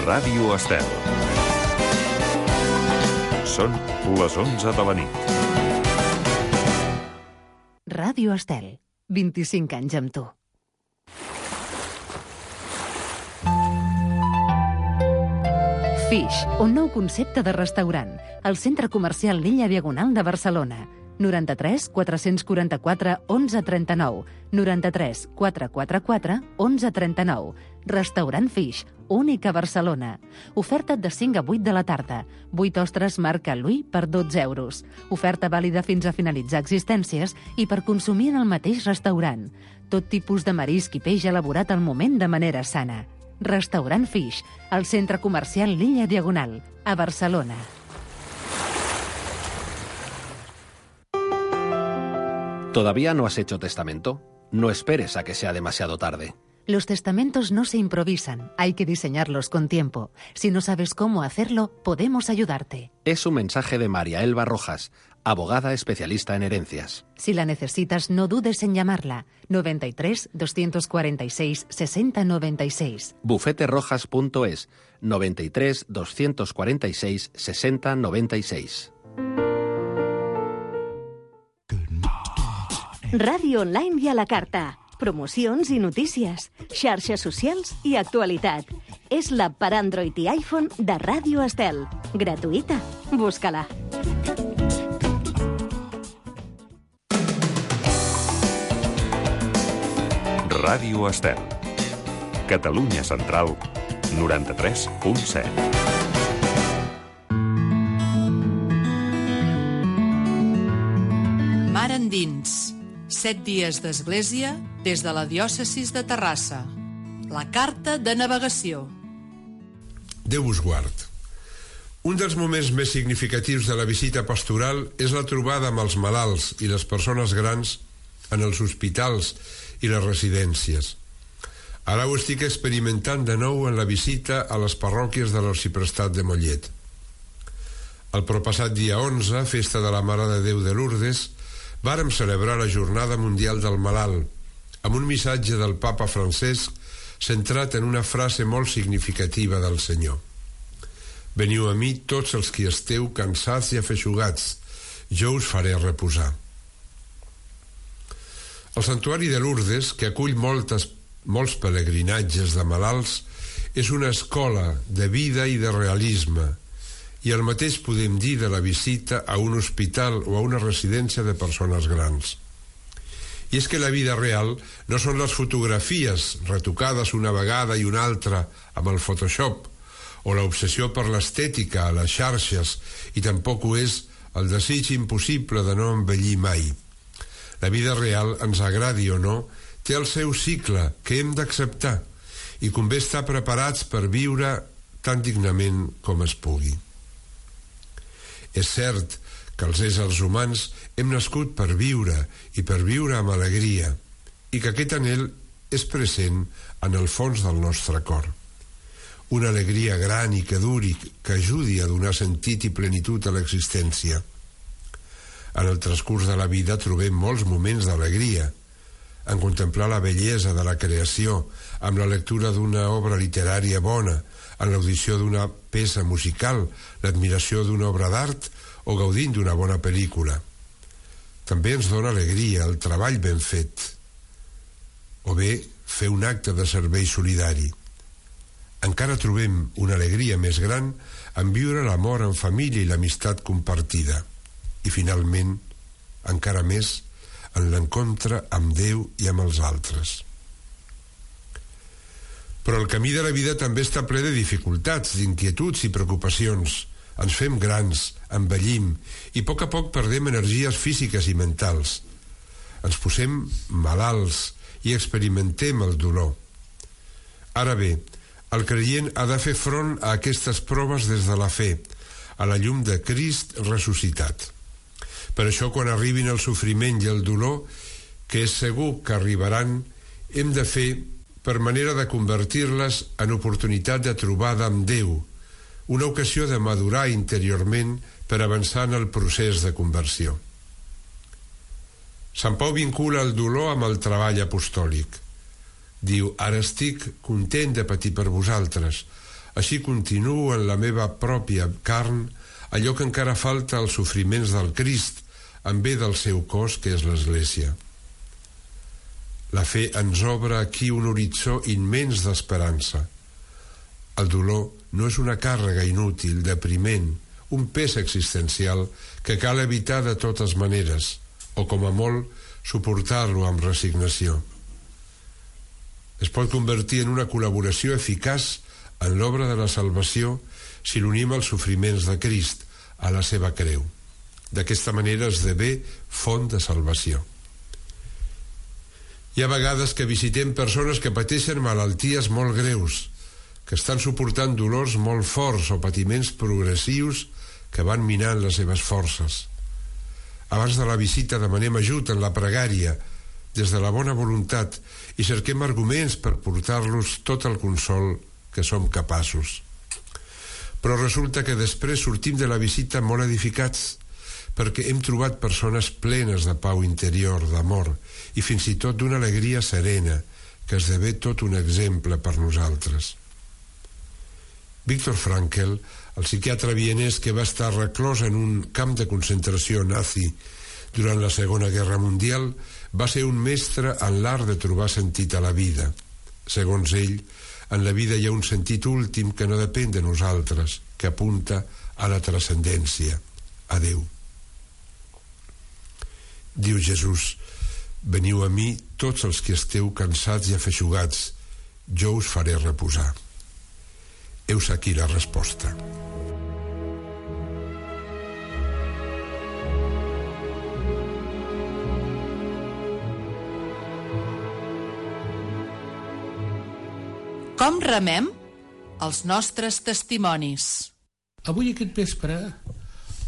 Ràdio Estel. Són les 11 de la nit. Ràdio Estel, 25 anys amb tu. Fish, un nou concepte de restaurant, al centre comercial Lilla Diagonal de Barcelona. 93 444 1139, 93 444 1139. Restaurant Fish, únic a Barcelona. Oferta de 5 a 8 de la tarda. 8 ostres marca Louis per 12 euros. Oferta vàlida fins a finalitzar existències i per consumir en el mateix restaurant. Tot tipus de marisc i peix elaborat al moment de manera sana. Restaurant Fish, al centre comercial Lilla Diagonal, a Barcelona. ¿Todavía no has hecho testamento? No esperes a que sea demasiado tarde. Los testamentos no se improvisan, hay que diseñarlos con tiempo. Si no sabes cómo hacerlo, podemos ayudarte. Es un mensaje de María Elba Rojas, abogada especialista en herencias. Si la necesitas, no dudes en llamarla. 93 246 60 96. Bufeterojas.es 93 246 60 96. Ràdio online i a la carta. Promocions i notícies, xarxes socials i actualitat. És l'app per Android i iPhone de Ràdio Estel. Gratuïta. Busca-la. Ràdio Estel. Catalunya Central, 93.7. Mar endins. 7 dies d'església des de la diòcesis de Terrassa. La carta de navegació. Déu us guard. Un dels moments més significatius de la visita pastoral és la trobada amb els malalts i les persones grans en els hospitals i les residències. Ara ho estic experimentant de nou en la visita a les parròquies de l'Arxiprestat de Mollet. El proppassat dia 11, festa de la Mare de Déu de Lourdes, vàrem celebrar la Jornada Mundial del Malalt, amb un missatge del Papa Francesc centrat en una frase molt significativa del Senyor. Veniu a mi tots els qui esteu cansats i afeixugats, jo us faré reposar. El Santuari de Lourdes, que acull molts pelegrinatges de malalts, és una escola de vida i de realisme, i el mateix podem dir de la visita a un hospital o a una residència de persones grans. I és que la vida real no són les fotografies retocades una vegada i una altra amb el Photoshop o l'obsessió per l'estètica a les xarxes, i tampoc ho és el desig impossible de no envellir mai. La vida real, ens agradi o no, té el seu cicle que hem d'acceptar i convé estar preparats per viure tan dignament com es pugui. És cert que els éssers humans hem nascut per viure i per viure amb alegria, i que aquest anhel és present en el fons del nostre cor. Una alegria gran i que duri, que ajudi a donar sentit i plenitud a l'existència. En el transcurs de la vida trobem molts moments d'alegria, en contemplar la bellesa de la creació, amb la lectura d'una obra literària bona, en l'audició d'una peça musical, l'admiració d'una obra d'art o gaudint d'una bona pel·lícula. També ens dona alegria el treball ben fet, o bé fer un acte de servei solidari. Encara trobem una alegria més gran en viure l'amor en família i l'amistat compartida, i finalment, encara més, en l'encontre amb Déu i amb els altres. Però el camí de la vida també està ple de dificultats, d'inquietuds i preocupacions. Ens fem grans, envellim, i a poc perdem energies físiques i mentals. Ens posem malalts i experimentem el dolor. Ara bé, el creient ha de fer front a aquestes proves des de la fe, a la llum de Crist ressuscitat. Per això, quan arribin el sofriment i el dolor, que és segur que arribaran, hem de fer per manera de convertir-les en oportunitat de trobada amb Déu, una ocasió de madurar interiorment per avançar en el procés de conversió. Sant Pau vincula el dolor amb el treball apostòlic. Diu, ara estic content de patir per vosaltres. Així continuo en la meva pròpia carn allò que encara falta als sofriments del Crist, en bé del seu cos, que és l'Església. La fe ens obre aquí un horitzó immens d'esperança. El dolor no és una càrrega inútil, depriment, un pes existencial que cal evitar de totes maneres, o com a molt suportar-lo amb resignació. Es pot convertir en una col·laboració eficaç en l'obra de la salvació si l'unim als sofriments de Crist, a la seva creu. D'aquesta manera esdevé font de salvació. Hi ha vegades que visitem persones que pateixen malalties molt greus, que estan suportant dolors molt forts o patiments progressius que van minant les seves forces. Abans de la visita demanem ajut en la pregària, des de la bona voluntat, i cerquem arguments per portar-los tot el consol que som capaços. Però resulta que després sortim de la visita molt edificats, perquè hem trobat persones plenes de pau interior, d'amor, i fins i tot d'una alegria serena, que esdevé tot un exemple per nosaltres. Viktor Frankl, el psiquiatre vienès que va estar reclòs en un camp de concentració nazi durant la Segona Guerra Mundial, va ser un mestre en l'art de trobar sentit a la vida. Segons ell, en la vida hi ha un sentit últim que no depèn de nosaltres, que apunta a la transcendència, a Déu. Diu Jesús: veniu a mi tots els que esteu cansats i afeixugats, jo us faré reposar. Heus aquí la resposta. Com remem els nostres testimonis? Avui aquest vespre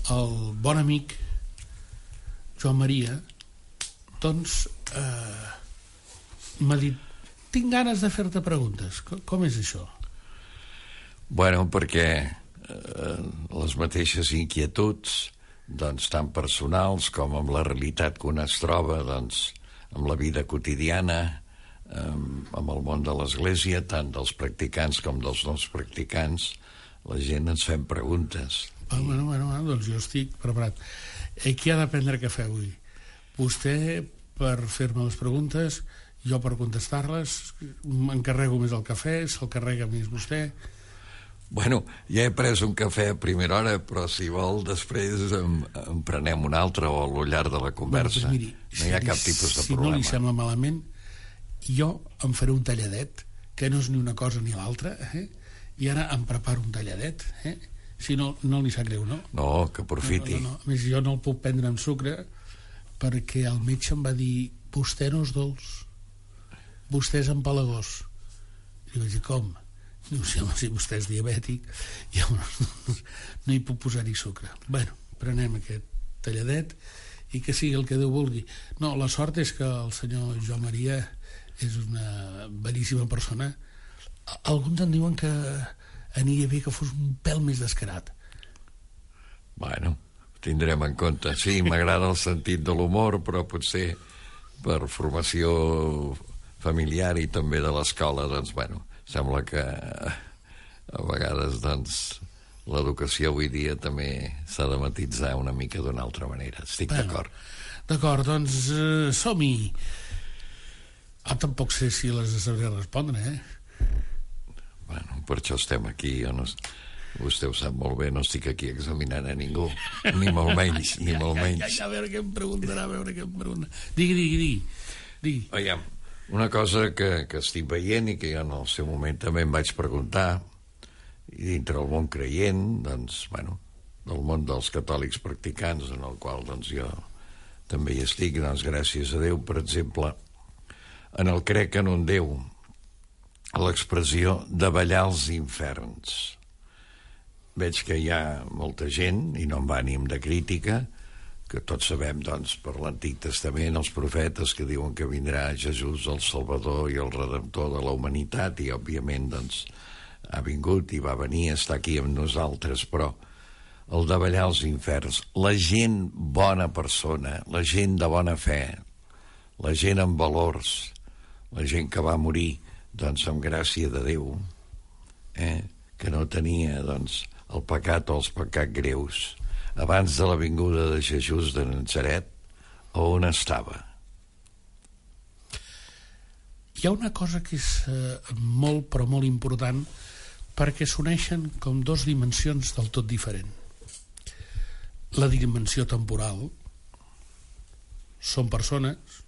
el bon amic Joan Maria doncs m'ha dit: tinc ganes de fer-te preguntes. Com és això? Bueno, perquè les mateixes inquietuds, doncs, tant personals com amb la realitat que un es troba, doncs, amb la vida quotidiana, amb el món de l'Església, tant dels practicants com dels no practicants, la gent ens fem preguntes. Bueno, doncs jo estic preparat. Qui ha de prendre cafè avui? Vostè per fer-me les preguntes, jo per contestar-les, m'encarrego més el cafè, se'l carrega més vostè. Bueno, ja he pres un cafè a primera hora, però si vol després en prenem un altre o al llarg de la conversa. Bueno, doncs miri, no hi ha cap tipus de problema. Si no li sembla malament, jo em faré un talladet, que no és ni una cosa ni l'altra, i ara em preparo un talladet, si no, no li sap greu, no? No, que aprofiti. No. A més, jo no el puc prendre amb sucre perquè el metge em va dir: vostè no és dolç, vostè és empalagós. I li vaig dir: com? Diu: sí, home, si vostè és diabètic, llavors no hi puc posar-hi sucre. Bueno, prenem aquest talladet i que sigui el que Déu vulgui. No, la sort és que el senyor Joan Maria és una beníssima persona. Alguns en diuen que aniria bé que fos un pèl més descarat. Bueno, ho tindrem en compte. Sí, m'agrada el sentit de l'humor, però potser per formació familiar i també de l'escola, doncs, bueno, sembla que a vegades, doncs, l'educació avui dia també s'ha de matitzar una mica d'una altra manera. Estic d'acord. D'acord, doncs som-hi. Tampoc sé si les sabré respondre, Bueno, per això estem aquí. Vostè ho sap molt bé, no estic aquí examinant a ningú, ni molt menys, ni molt menys. A veure què em preguntarà, Digui. Aviam, una cosa que estic veient i que jo en el seu moment també em vaig preguntar, i dintre el món creient, doncs, bueno, del món dels catòlics practicants, en el qual, doncs, jo també hi estic, doncs, gràcies a Déu, per exemple, en el crec en un Déu, l'expressió davallar els inferns. Veig que hi ha molta gent, i no amb ànim de crítica, que tots sabem, doncs, per l'Antic Testament, els profetes que diuen que vindrà Jesús, el Salvador i el Redemptor de la humanitat, i, òbviament, doncs, ha vingut i va venir a estar aquí amb nosaltres, però el davallar els inferns, la gent bona persona, la gent de bona fe, la gent amb valors, la gent que va morir, doncs, amb gràcia de Déu, que no tenia, doncs, el pecat o els pecats greus abans de la vinguda de Jesús de Natzaret, on estava? Hi ha una cosa que és molt, però molt important, perquè s'uneixen com dos dimensions del tot diferent. La dimensió temporal són persones,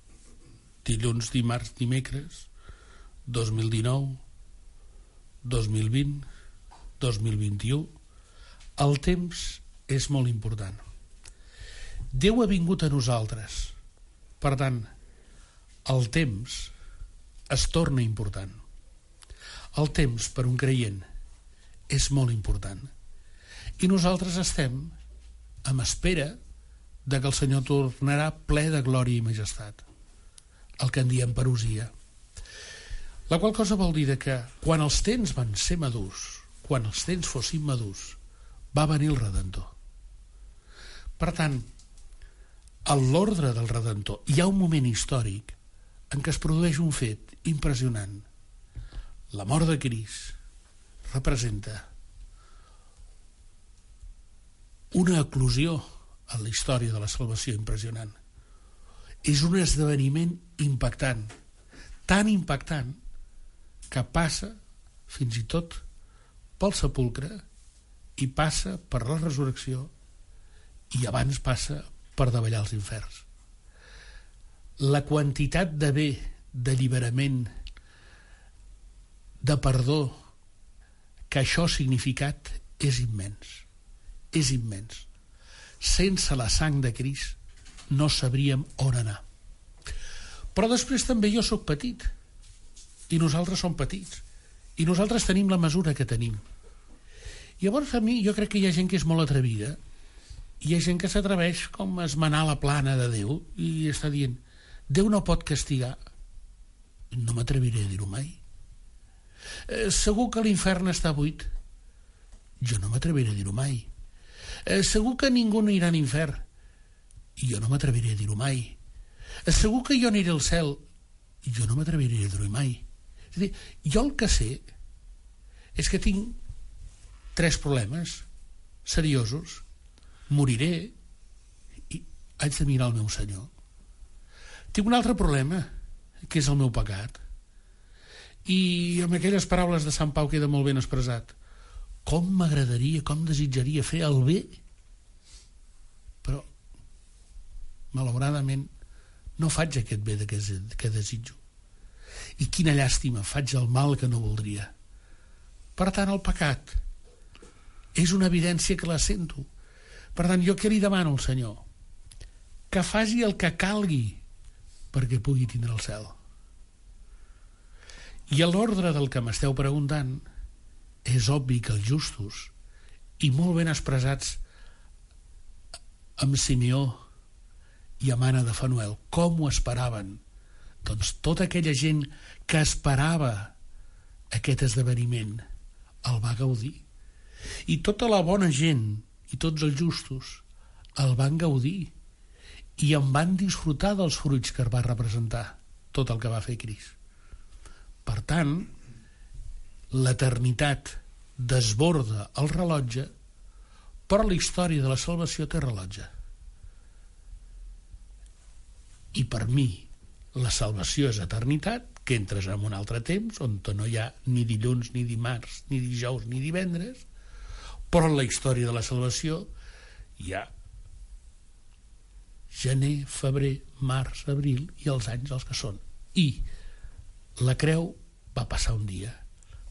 dilluns, dimarts, dimecres, 2019, 2020, 2021. El temps és molt important. Déu ha vingut a nosaltres. Per tant, el temps es torna important. El temps, per un creient, és molt important. I nosaltres estem en espera de que el Senyor tornarà ple de glòria i majestat, el que en diem parusia. La qual cosa vol dir que quan els temps van ser madurs, quan els temps fossin madurs, va venir el Redentor. Per tant, a l'ordre del Redentor hi ha un moment històric en què es produeix un fet impressionant. La mort de Crist representa una eclosió en la història de la salvació impressionant. És un esdeveniment impactant, tan impactant que passa fins i tot pel sepulcre i passa per la resurrecció i abans passa per davallar els inferns. La quantitat de bé, d'alliberament, de perdó que això ha significat és immens. És immens. Sense la sang de Crist no sabríem on anar. Però després també jo sóc petit i nosaltres som petits i nosaltres tenim la mesura que tenim. Llavors a mi jo crec que hi ha gent que és molt atrevida, hi ha gent que s'atreveix com a esmenar la plana de Déu i està dient Déu no pot castigar. No m'atreviré a dir-ho mai. Segur que l'infern està buit. Jo no m'atreviré a dir-ho mai. Segur que ningú no irà a l'infern. Jo no m'atreviré a dir-ho mai. Segur que jo aniré al cel. Jo no m'atreviré a dir-ho mai. És a dir, jo el que sé és que tinc 3 problemes seriosos. Moriré i haig de mirar el meu Senyor. Tinc un altre problema, que és el meu pecat. I amb aquelles paraules de Sant Pau queda molt ben expressat. Com m'agradaria, com desitjaria fer el bé, però malauradament no faig aquest bé que desitjo. I quina llàstima, faig el mal que no voldria. Per tant, el pecat és una evidència que la sento. Per tant, jo què li demano al Senyor? Que faci el que calgui perquè pugui tindre el cel. I a l'ordre del que m'esteu preguntant, és obvi que els justos, i molt ben expressats amb Simeó i amb Anna de Fanuel, com ho esperaven? Doncs tota aquella gent que esperava aquest esdeveniment el va gaudir. I tota la bona gent i tots els justos el van gaudir i en van disfrutar dels fruits que va representar tot el que va fer Crist. Per tant, l'eternitat desborda el rellotge, però la història de la salvació té rellotge. I per mi, la salvació és eternitat, que entres en un altre temps, on no hi ha ni dilluns, ni dimarts, ni dijous, ni divendres, però en la història de la salvació hi ha gener, febrer, març, abril i els anys els que són. I la creu va passar un dia.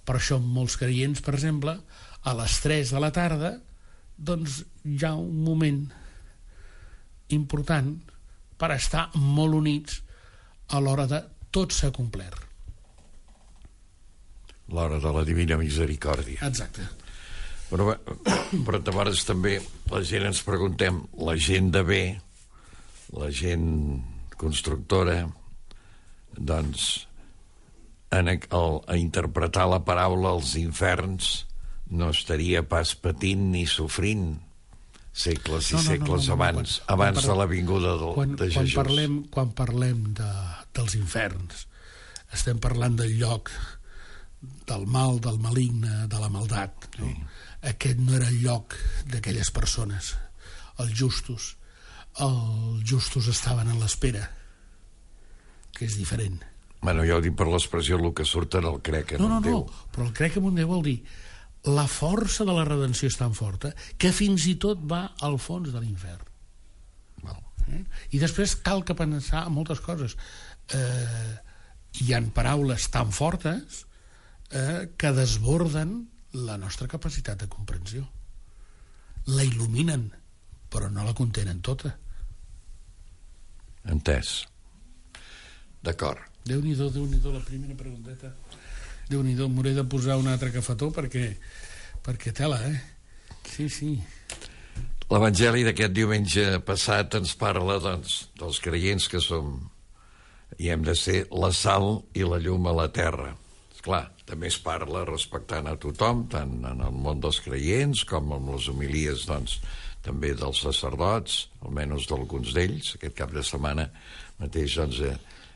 Per això molts creients, per exemple, a les 3 de la tarda, doncs hi ha un moment important per estar molt units a l'hora de tot s'ha complert. L'hora de la Divina Misericòrdia. Exacte. Però a vegades també la gent ens preguntem, la gent de bé, la gent constructora, doncs a interpretar la paraula als inferns no estaria pas patint ni sofrint segles i segles abans de la vinguda de Jesús. Quan parlem dels inferns, estem parlant del lloc del mal, del maligne, de la maldat, no? Sí. Aquest no era el lloc d'aquelles persones. Els justos estaven en l'espera, que és diferent. Bueno, jo ho dic per l'expressió, el que surt en el crec en un Déu. No, però el crec en un Déu vol dir la força de la redenció és tan forta que fins i tot va al fons de l'infern. I després cal que pensar en moltes coses. Hi ha paraules tan fortes que desborden la nostra capacitat de comprensió. La il·luminen, però no la contenen tota. Entès. D'acord. Déu-n'hi-do, la primera pregunteta. Déu-n'hi-do, m'hauré de posar un altre cafetó perquè tela, Sí. L'Evangeli d'aquest diumenge passat ens parla, doncs, dels creients que som i hem de ser la sal i la llum a la terra. Esclar, també es parla respectant a tothom, tant en el món dels creients com en les homilies, doncs, també dels sacerdots, almenys d'alguns d'ells. Aquest cap de setmana mateix, doncs,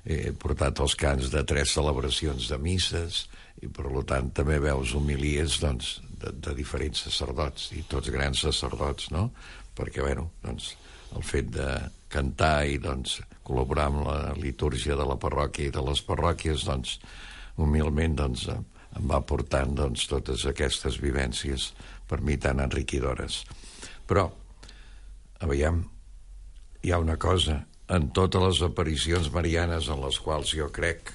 he portat els cants de 3 celebracions de misses i, per tant, també veus homilies, doncs, de diferents sacerdots, i tots grans sacerdots, no? Perquè, bueno, doncs, el fet de cantar i, doncs, col·laborar amb la litúrgia de la parròquia i de les parròquies, doncs, humilment, doncs, em va portant, doncs, totes aquestes vivències per mi tan enriquidores. Però, aviam, hi ha una cosa, en totes les aparicions marianes en les quals jo crec,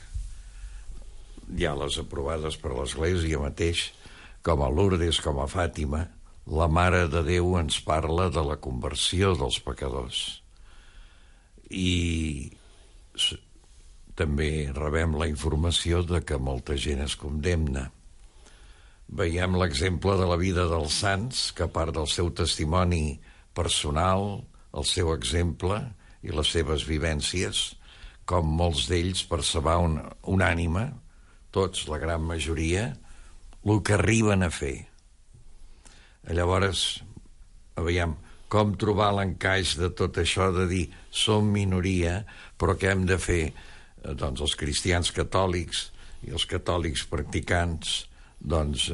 ja les aprovades per l'Església mateix, com a Lourdes, com a Fàtima, la Mare de Déu ens parla de la conversió dels pecadors. I també rebem la informació de que molta gent es condemna. Veiem l'exemple de la vida dels sants, que a part del seu testimoni personal, el seu exemple i les seves vivències, com molts d'ells per salvar una ànima, tots, la gran majoria, el que arriben a fer. Llavors, aviam, com trobar l'encaix de tot això de dir som minoria, però què hem de fer? Doncs els cristians catòlics i els catòlics practicants, doncs,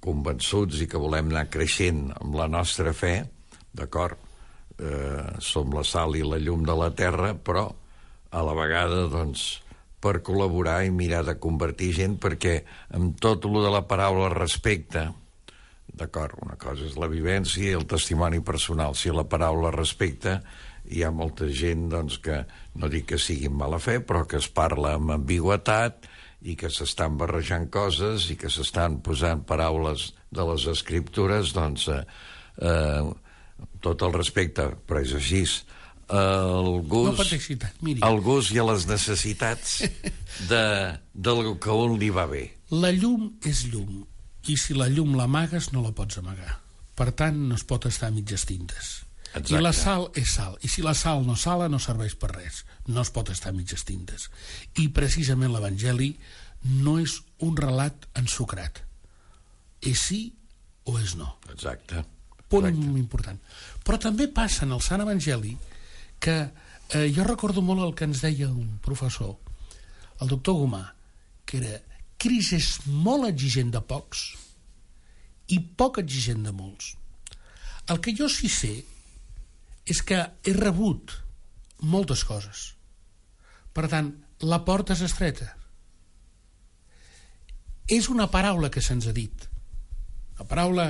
convençuts i que volem anar creixent amb la nostra fe, d'acord, som la sal i la llum de la terra, però a la vegada, doncs, per col·laborar i mirar de convertir gent, perquè amb tot el de la paraula respecte, d'acord, una cosa és la vivència i el testimoni personal. Si la paraula respecte, hi ha molta gent, doncs, que no dic que sigui en mala fe, però que es parla amb ambigüitat i que s'estan barrejant coses i que s'estan posant paraules de les escriptures, doncs, tot el respecte, però és així. El gust i a les necessitats del que a un li va bé. La llum és llum, i si la llum l'amagues no la pots amagar. Per tant, no es pot estar a mitges tintes. Exacte. I la sal és sal, i si la sal no sala no serveix per res, no es pot estar a mitges tintes. I precisament l'Evangeli no és un relat ensucrat, és sí o és no. Exacte. Punt important. Però també passa en el Sant Evangeli que jo recordo molt el que ens deia un professor, el doctor Gomà, que era: Cris és molt exigent de pocs i poc exigent de molts. El que jo sí sé és que he rebut moltes coses. Per tant, la porta és estreta. És una paraula que se'ns ha dit, una paraula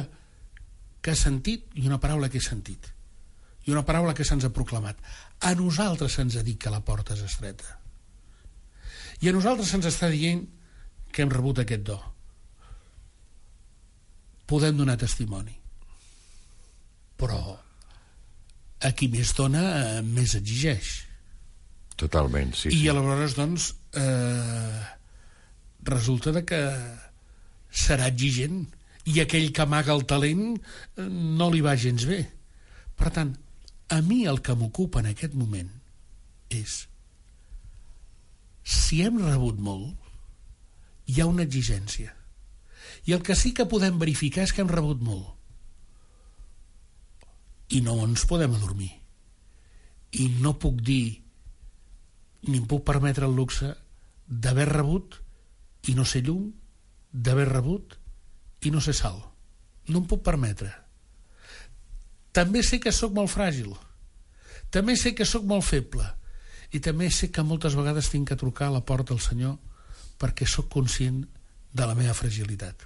que he sentit i una paraula que he sentit, i una paraula que se'ns ha proclamat. A nosaltres se'ns ha dit que la porta és estreta. I a nosaltres se'ns està dient que hem rebut aquest do. Podem donar testimoni. Però a qui més dona, més exigeix. Totalment, sí. I aleshores, doncs, resulta que serà exigent i aquell que amaga el talent no li va gens bé. Per tant, a mi el que m'ocupa en aquest moment és si hem rebut molt, hi ha una exigència. I el que sí que podem verificar és que hem rebut molt. I no ens podem adormir. I no puc dir, ni em puc permetre el luxe d'haver rebut i no ser llum d'haver rebut i no ser salt. No em puc permetre. També sé que sóc molt fràgil, també sé que sóc molt feble, i també sé que moltes vegades tinc que trucar a la porta del Senyor perquè sóc conscient de la meva fragilitat.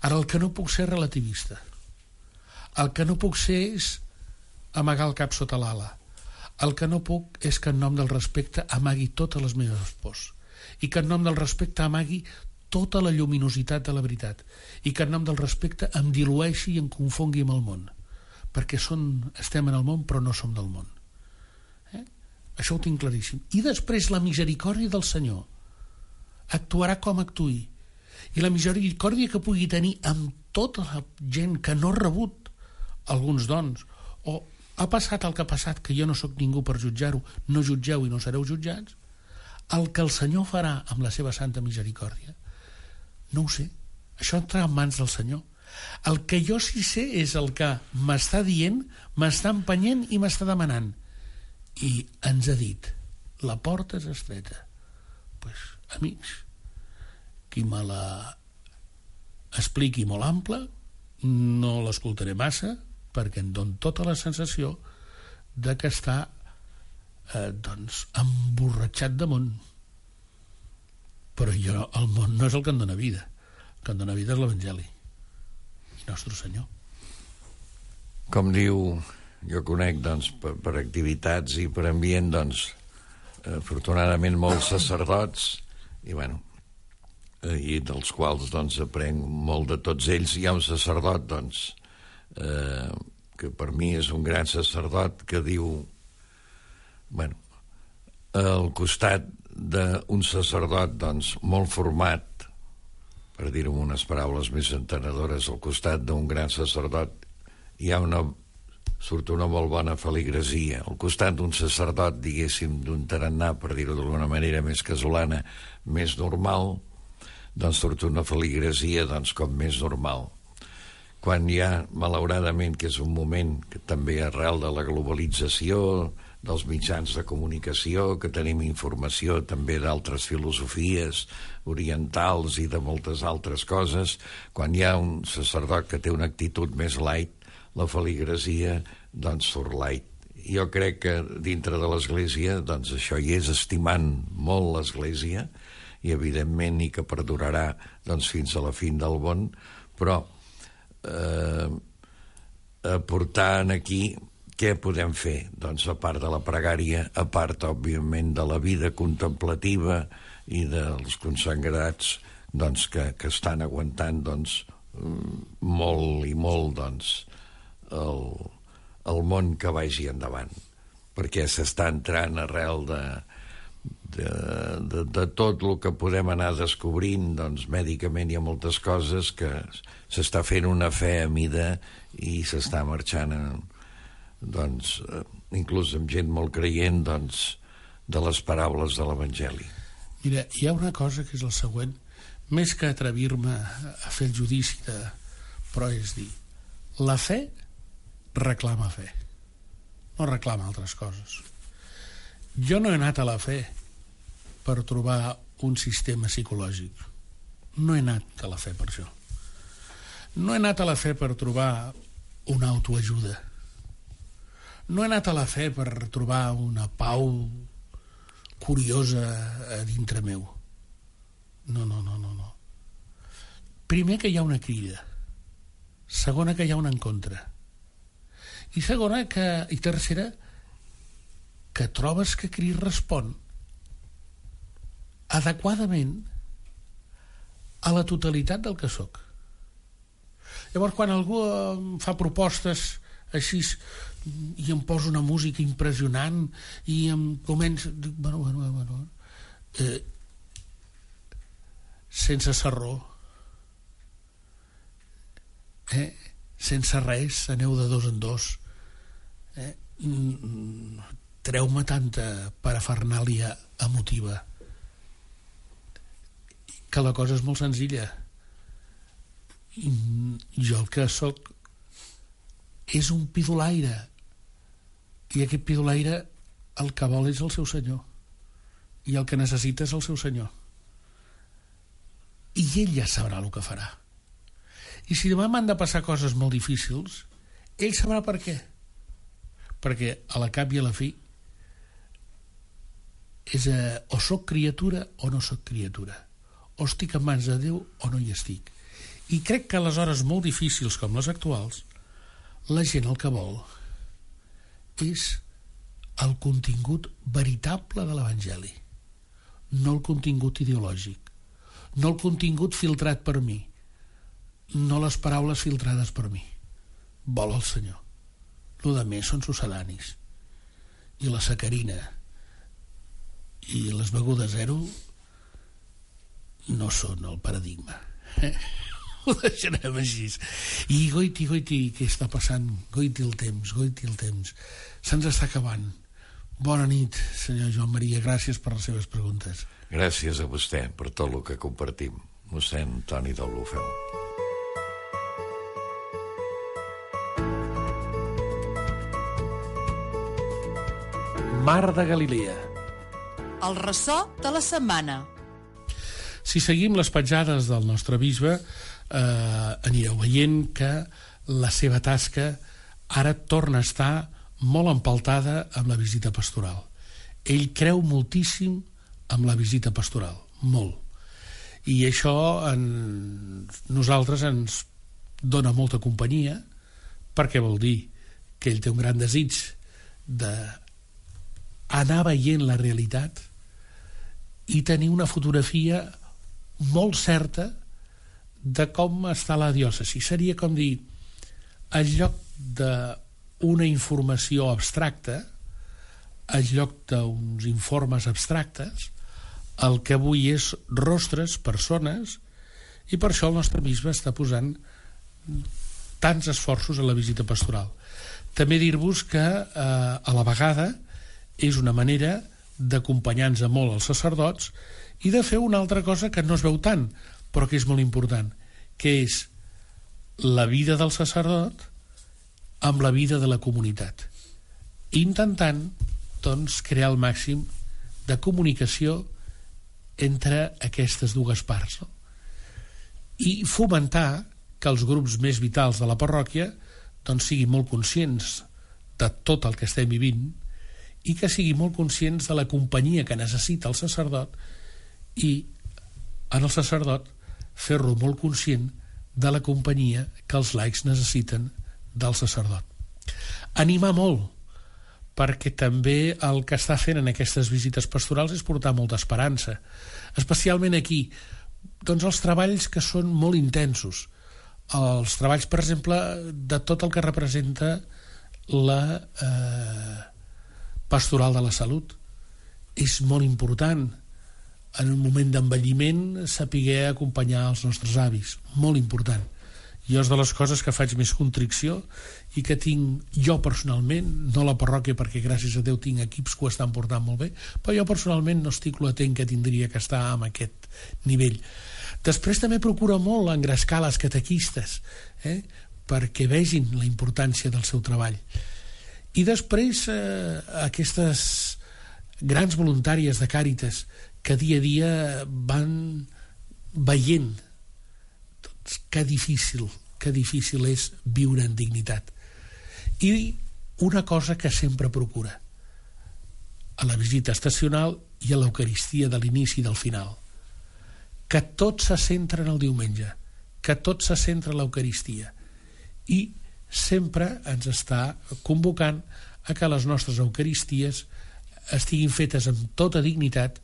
Ara, el que no puc ser relativista, el que no puc ser és amagar el cap sota l'ala, el que no puc és que en nom del respecte amagui totes les meves pors, i que en nom del respecte amagui tota la lluminositat de la veritat, i que en nom del respecte em dilueixi i em confongui amb el món, perquè estem en el món però no som del món. Això ho tinc claríssim. I després la misericòrdia del Senyor actuarà com actuï, i la misericòrdia que pugui tenir amb tota la gent que no ha rebut alguns dons, o ha passat el que ha passat, que jo no sóc ningú per jutjar-ho, no jutgeu i no sereu jutjats, el que el Senyor farà amb la seva santa misericòrdia no ho sé, això entrarà en mans del Senyor. El que jo sí sé és el que m'està dient, m'està empenyent i m'està demanant, i ens ha dit: la porta és estreta. Pues, amics, qui me la expliqui molt ampla no l'escoltaré massa, perquè em dona tota la sensació de que està emborratxat de món. Però el món no és el que em dona vida. El que em dona vida és l'Evangeli i Nostre Senyor. Com diu, jo conec per activitats i per ambient, afortunadament molts sacerdots, i i dels quals aprenc molt de tots ells. Hi ha un sacerdot que per mi és un gran sacerdot, que diu, al costat d'un sacerdot molt format, per dir-ho amb unes paraules més entenedores, al costat d'un gran sacerdot surt una molt bona feligresia. Al costat d'un sacerdot, diguéssim, d'un tarannà, per dir-ho d'alguna manera més casolana, més normal, surt una feligresia com més normal. Quan hi ha, malauradament, que és un moment que també arrel de la globalització, dels mitjans de comunicació, que tenim informació també d'altres filosofies orientals i de moltes altres coses, quan hi ha un sacerdot que té una actitud més light, la feligresia surt light. Jo crec que dintre de l'Església això hi és, estimant molt l'Església, i evidentment i que perdurarà fins a la fin del món, però aportant aquí què podem fer? A part de la pregària, a part, òbviament, de la vida contemplativa i dels consagrats que estan aguantant molt i molt el món que vagi endavant, perquè s'està entrant arrel de tot el que podem anar descobrint. Mèdicament hi ha moltes coses que s'està fent una fe a mida i s'està marxant inclús amb gent molt creient de les paraules de l'Evangeli. Mira, hi ha una cosa que és el següent, més que atrevir-me a fer el judici però és dir, la fe reclama fe, no reclama altres coses. Jo no he anat a la fe per trobar un sistema psicològic, no he anat a la fe per això, no he anat a la fe per trobar una autoajuda, no he anat a la fe per trobar una pau curiosa a dintre meu. No. Primer, que hi ha una crida. Segona, que hi ha un encontre. I tercera, que trobes que Crist respon adequadament a la totalitat del que sóc. Llavors, quan algú em fa propostes així i em posa una música impressionant i em comença... sense sarró, sense res, aneu de dos en dos, treu-me tanta parafernàlia emotiva, que la cosa és molt senzilla. Jo el que sóc és un pidolaire, i aquest pidolaire el que vol és el seu senyor, i el que necessita és el seu senyor. i ell ja sabrà el que farà. I si demà m'han de passar coses molt difícils, ell sabrà per què. Perquè a la cap i a la fi és o soc criatura o no soc criatura, o estic en mans de Déu o no hi estic. I crec que a les hores molt difícils com les actuals, la gent el que vol és el contingut veritable de l'Evangeli, no el contingut ideològic, no el contingut filtrat per mi, no les paraules filtrades per mi. Vol el Senyor. Lo de més són succedanis, i la sacarina i les begudes zero no són el paradigma. Ho deixarem així. I goiti, què està passant? Goiti el temps. Se'ns està acabant. Bona nit, senyor Joan Maria, gràcies per les seves preguntes. Gràcies a vostè per tot el que compartim. Mossèn Toni Deulofeu. Mar de Galilea. El ressò de la setmana. Si seguim les petjades del nostre bisbe, anireu veient que la seva tasca ara torna a estar molt empaltada amb la visita pastoral. Ell creu moltíssim amb la visita pastoral, molt. I això nosaltres ens dona molta companyia, perquè vol dir que ell té un gran desig d'anar veient la realitat i tenir una fotografia molt certa de com està la diòcesi. Seria com dir, en lloc d'una informació abstracta, en lloc d'uns informes abstractes, el que avui és rostres, persones, i per això el nostre bisbe està posant tants esforços a la visita pastoral. També dir-vos que a la vegada és una manera d'acompanyar-nos molt els sacerdots i de fer una altra cosa que no es veu tant, però que és molt important, que és la vida del sacerdot amb la vida de la comunitat, intentant doncs crear el màxim de comunicació entre aquestes dues parts, no? I fomentar que els grups més vitals de la parròquia doncs siguin molt conscients de tot el que estem vivint i que siguin molt conscients de la companyia que necessita el sacerdot i en el sacerdot fer-lo molt conscient de la companyia que els laics necessiten del sacerdot. Animar molt, perquè també el que està fent en aquestes visites pastorals és portar molta esperança, especialment aquí, doncs els treballs que són molt intensos, els treballs, per exemple, de tot el que representa la pastoral de la salut. És molt important en un moment d'envelliment saber acompanyar els nostres avis, molt important. Jo és de les coses que faig més contricció i que tinc jo personalment, no la parròquia perquè gràcies a Déu tinc equips que ho estan portant molt bé, però jo personalment no estic l'atent que tindria que estar en aquest nivell. Després també procura molt engrescar les catequistes, perquè vegin la importància del seu treball. I després aquestes grans voluntàries de Càritas que dia a dia van veient que difícil és viure en dignitat. I una cosa que sempre procura a la visita estacional i a l'Eucaristia de l'inici i del final, que tot se centra en el diumenge, que tot se centra en l'Eucaristia, i sempre ens està convocant a que les nostres Eucaristies estiguin fetes amb tota dignitat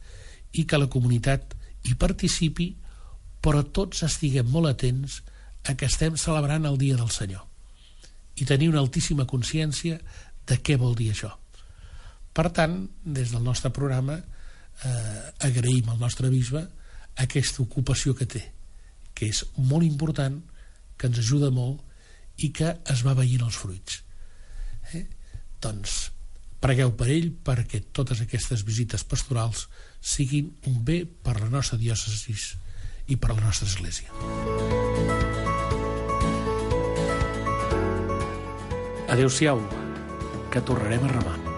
i que la comunitat hi participi, però tots estiguem molt atents a que estem celebrant el dia del Senyor i tenir una altíssima consciència de què vol dir això. Per tant, des del nostre programa agraïm al nostre bisbe aquesta ocupació que té, que és molt important, que ens ajuda molt i que es va veient els fruits. Doncs pregueu per ell perquè totes aquestes visites pastorals siguin un bé per la nostra diòcesi i per la nostra església. Adéu-siau, que tornarem a remar.